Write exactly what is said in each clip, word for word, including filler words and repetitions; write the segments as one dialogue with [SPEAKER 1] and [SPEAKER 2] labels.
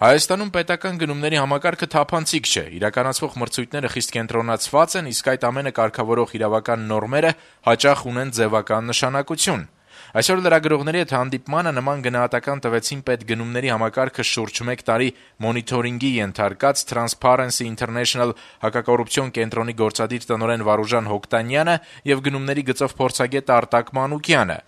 [SPEAKER 1] Հայաստանում պետական գնումների համակարգը թափանցիկ չէ, իրականացվող մրցույթները խիստ կենտրոնացված են, իսկ այդ ամենը կարգավորող իրավական նորմերը հաճախ ունեն ձևական նշանակություն։ Այսօր լրագրողների հետ հանդիպմանը նման գնահատական տվեցին պետգնումների համակարգը շուրջ մեկ տարի մոնիթորինգի ենթարկած Transparency International հակակոռուպցիոն կենտրոնի գործադիր տնօրեն Վարուժան Հոկտանյանը եւ գնումների գծով փորձագետ Արտակ Մանուկյանը։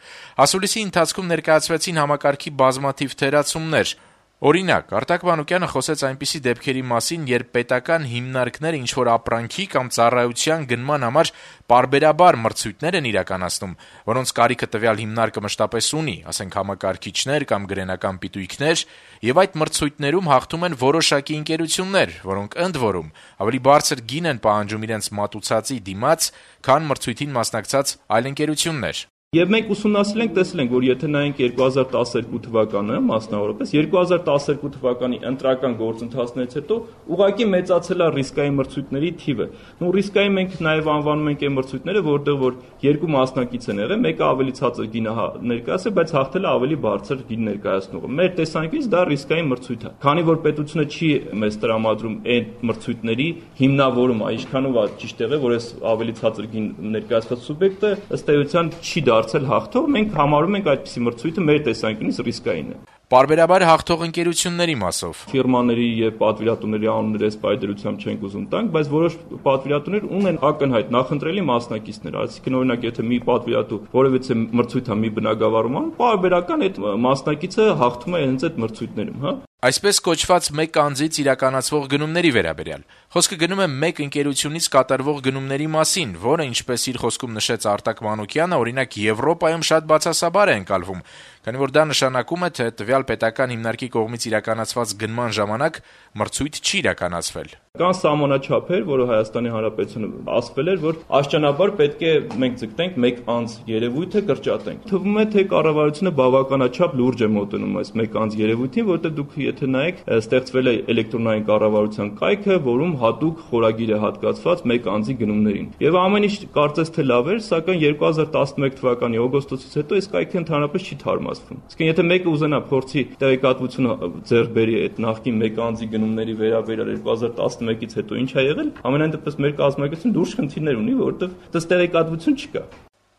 [SPEAKER 1] Ասուլիսի ընթացքում ներկայացվեցին համակարգի բազմաթիվ թերացումներ։ Օրինակ, Արտակ Մանուկյանը խոսեց այնպիսի դեպքերի մասին, երբ պետական հիմնարկները ինչ-որ ապրանքի կամ ծառայության գնման համար պարբերաբար մրցույթներ են իրականացնում, որոնց կարիքը տվյալ հիմնարկը մշտապես ունի, ասենք համակարգիչներ կամ գրենական պիտույքներ, եւ այդ մրցույթներում հաղթում են որոշակի ընկերություններ, որոնք ընդ որում ավելի բարձր գին են պահանջում իրենց մատուցածի դիմաց, քան մրցույթին մասնակցած այլ ընկերություններ։
[SPEAKER 2] Եվ մենք ուսումնասիրել ենք, տեսել ենք, որ եթե նայենք երկու հազար տասներկու թվականը, մասնավորապես երկու հազար տասներկու թվականի ընտրական գործընթացներից հետո ուղղակի մեծացել է ռիսկային մրցույթների թիվը։ Ու ռիսկային մենք նաև անվանում ենք այն մրցույթները, որտեղ որ երկու մասնակից են եղել, մեկը ավելի ցածր գին է ներկայացրել, բայց հաղթել է ավելի բարձր գին ներկայացնողը։ Մեր տեսանկյունից դա ռիսկային մրցույթ է։ Քանի որ պետությունը չի մեզ տրամադրում այդ մրցույթների հիմնավորումը, ինչքանով է ճիշտ եղել, որ այս ավելի ցածր գին ներկայացված սուբյեկտը ըստ էության չի դարձել հաղթող, մենք համարում ենք այդպիսի մրցույթը մեր տեսանկյունից ռիսկային է։
[SPEAKER 1] Պարբերաբար հաղթող ընկերությունների մասով
[SPEAKER 2] ֆիրմաների եւ պատվիրատուների անունները այս պայդրությամբ չենք ուզում տանք, բայց որոշ պատվիրատուներ ունեն ակնհայտ նախընտրելի մասնակիցներ, այսինքն օրինակ եթե մի պատվիրատու որևիցե մրցույթ է մի բնակավարում անում, պարբերական այդ մասնակիցը հաղթում է հենց այդ մրցույթներում, հա։
[SPEAKER 1] Այսպես կոչված մեկ անձից իրականացվող գնումների վերաբերյալ։ Խոսքը գնում է մեկ ընկերությունից կատարվող գնումների մասին, որը, ինչպես իր խոսքում նշեց Արտակ Մանուկյանը, օրինակ Եվրոպայում շատ բացասաբար է ընկալվում, քանի որ դա նշանակում է, թե տվյալ պետական հիմնարկի կողմից իրականացված գնման ժամանակ մրցույթ չի իրականացվել։
[SPEAKER 2] Կան սահմանաչափեր, որը Հայաստանի Հանրապետությունը ասվել էր, որ աշճանաբար պետք է մենք ձգտենք մեկ անձ երևույթը կրճատենք։ Թվում է, թե կառավարությունը բավականաչափ լուրջ է մոտենում այս մեկ անձ երևույթին, որտեղ դուք եթե նայեք, ստեղծվել է էլեկտրոնային կառավարության կայքը, որում հատուկ խորագիր է հատկացված մեկ անձի գնումներին։ Եվ ամեն ինչ կարծես թե լավ էր, սակայն երկու հազար տասնմեկ թվականի օգոստոսից հետո այս կայքը ընդհանրապես չի թարմացվում։ Իսկ եթե մեկը ուզենա փորձի տեղեկատվություն ձեռք բերի այդ նախկին մեկ անձի գնումների վերաբերյալ երկու հազար տասնմեկից հետո ինչ է եղել, ամենայն դեպս մեր կազմակերպությունը լուրջ խնդիրներ ունի, որովհետև դες տեղեկատվություն չկա։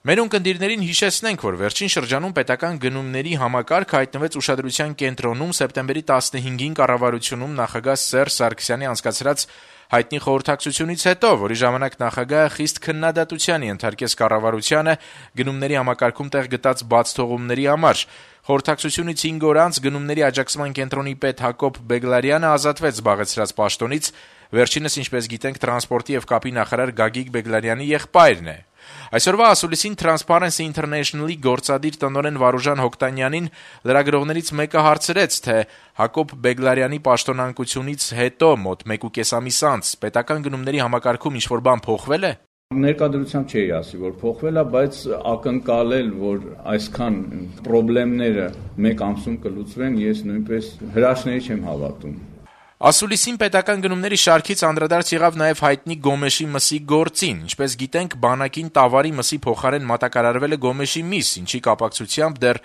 [SPEAKER 1] Մեր ունկնդիրներին հիշեցնենք, որ վերջին շրջանում պետական գնումների համակարգ հայտնվեց ուշադրության կենտրոնում սեպտեմբերի տասնհինգին կառավարությունում նախագահ Սերժ Սարգսյանի անցկացրած հայտնի խորհրդակցությունից հետո, որի ժամանակ նախագահը խիստ քննադատության ենթարկեց կառավարությանը գնումների համակարգում տեղ գտած բացթողումների համար։ Խորհրդակցությունից հինգ օր անց գնումների աջակցման կենտրոնի պետ Հակոբ Բեգլարյանը ազատվեց զբաղեցրած պաշտոնից, վերջինս, ինչպես գիտենք, տրանսպորտի եւ կապի նախարար Գագիկ Բեգլարյանի եղբայրն է։ Այսօրվա ասուլիսին Transparency International-ի գործադիր տնօրեն Վարուժան Հոկտանյանին լրագրողներից մեկը հարցրեց, թե Հակոբ Բեգլարյանի պաշտոնանկությունից հետո մոտ մեկուկես ամիս անց պետական գնումների համակարգում ինչ-որ բան փոխվել է։
[SPEAKER 3] Ներկայությամբ չէի ասի, որ փոխվել է, բայց ակնկալել, որ այսքան խնդիրները մեկ ամսում կլուծվեն, ես նույնպես հրաշքների չեմ հավատում։
[SPEAKER 1] Ասուլիսին պետական գնումների շարքից անդրադարձ եղավ նաև հայտնի Գոմեշի մսի գործին։ Ինչպես գիտենք, բանակին Տավարի մսի փոխարեն մատակարարվել է Գոմեշի միս, ինչի կապակցությամբ դեռ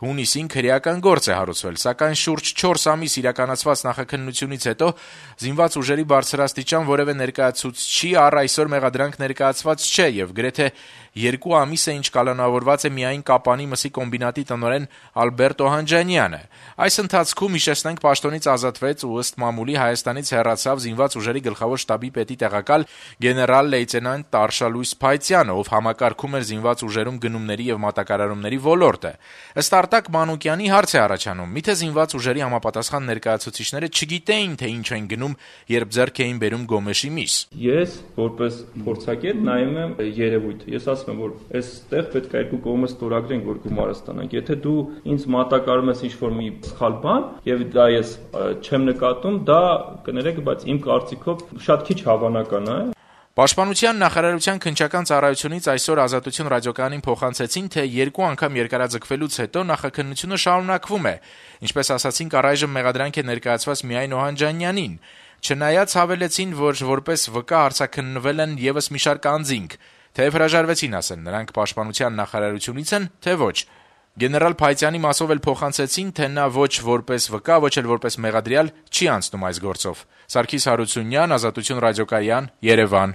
[SPEAKER 1] հունիսին քրեական գործ է հարուցվել, սակայն շուրջ չորս ամիս իրականացված նախաքննությունից հետո զինված ուժերի բարձրաստիճան որևէ ներկայացուցչի առ այսօր մեղադրանք ներկայացված չէ եւ գրեթե երկու ամիս է ինչ կալանավորված է միայն Կապանի մսի կոմբինատի տնօրեն Ալբերտ Օհանջանյանը։ Այս ընթացքում հիշեցնենք պաշտոնից ազատվեց ու ըստ մամուլի Հայաստանից հեռացավ զինված ուժերի գլխավոր շտաբի պետի տեղակալ գեներալ լեյտենանտ Տարշալույս Փայծյանը, ով համակարգում էր զինված ուժերում գնումների եւ մատակարարումների ոլորտը։ Ըստ Արտակ Մանուկյանի հարց է առաջանում. միթե զինված ուժերի համապատասխան ներկայացուցիչները չգիտեին, թե ինչ են գնում, երբ ձեռք էին բերում Գոմեշի միս։
[SPEAKER 2] Ես որպես փորձագետ նայում եմ երևույթը։ Ես ասում եմ, որ այստեղ պետք է երկու կողմը ստորագրենք, որ գումարը ստանանք։ Եթե դու ինձ մատակարարում ես ինչ-որ մի սխալ բան, եւ դա ես չեմ նկատում, դա կներեք, բայց իմ կարծիքով շատ քիչ հավանական է։
[SPEAKER 1] Պաշտպանության նախարարության քննչական ծառայությունից այսօր Ազատություն ռադիոկայանին փոխանցեցին, թե երկու անգամ երկարաձգվելուց հետո նախաքննությունը շարունակվում է։ Ինչպես ասացինք, առայժմ մեղադրանք է ներկայացված միայն Օհանջանյանին։ Չնայած հավելեցին, որ որպես վկա հարցաքննվել են եւս մի շարք անձինք, թեև հրաժարվեցին ասեն, նրանք պաշտպանության նախարարությունից են, թե ոչ։ Գեներալ Փայտյանի մասով էլ փոխանցեցին, թե նա ոչ որպես վկա, ոչ էլ որպես մեղադրյալ չի անցնում այս գործով։ Սարգիս Հարությունյան, Ազատություն ռադիոկայան, Երևան։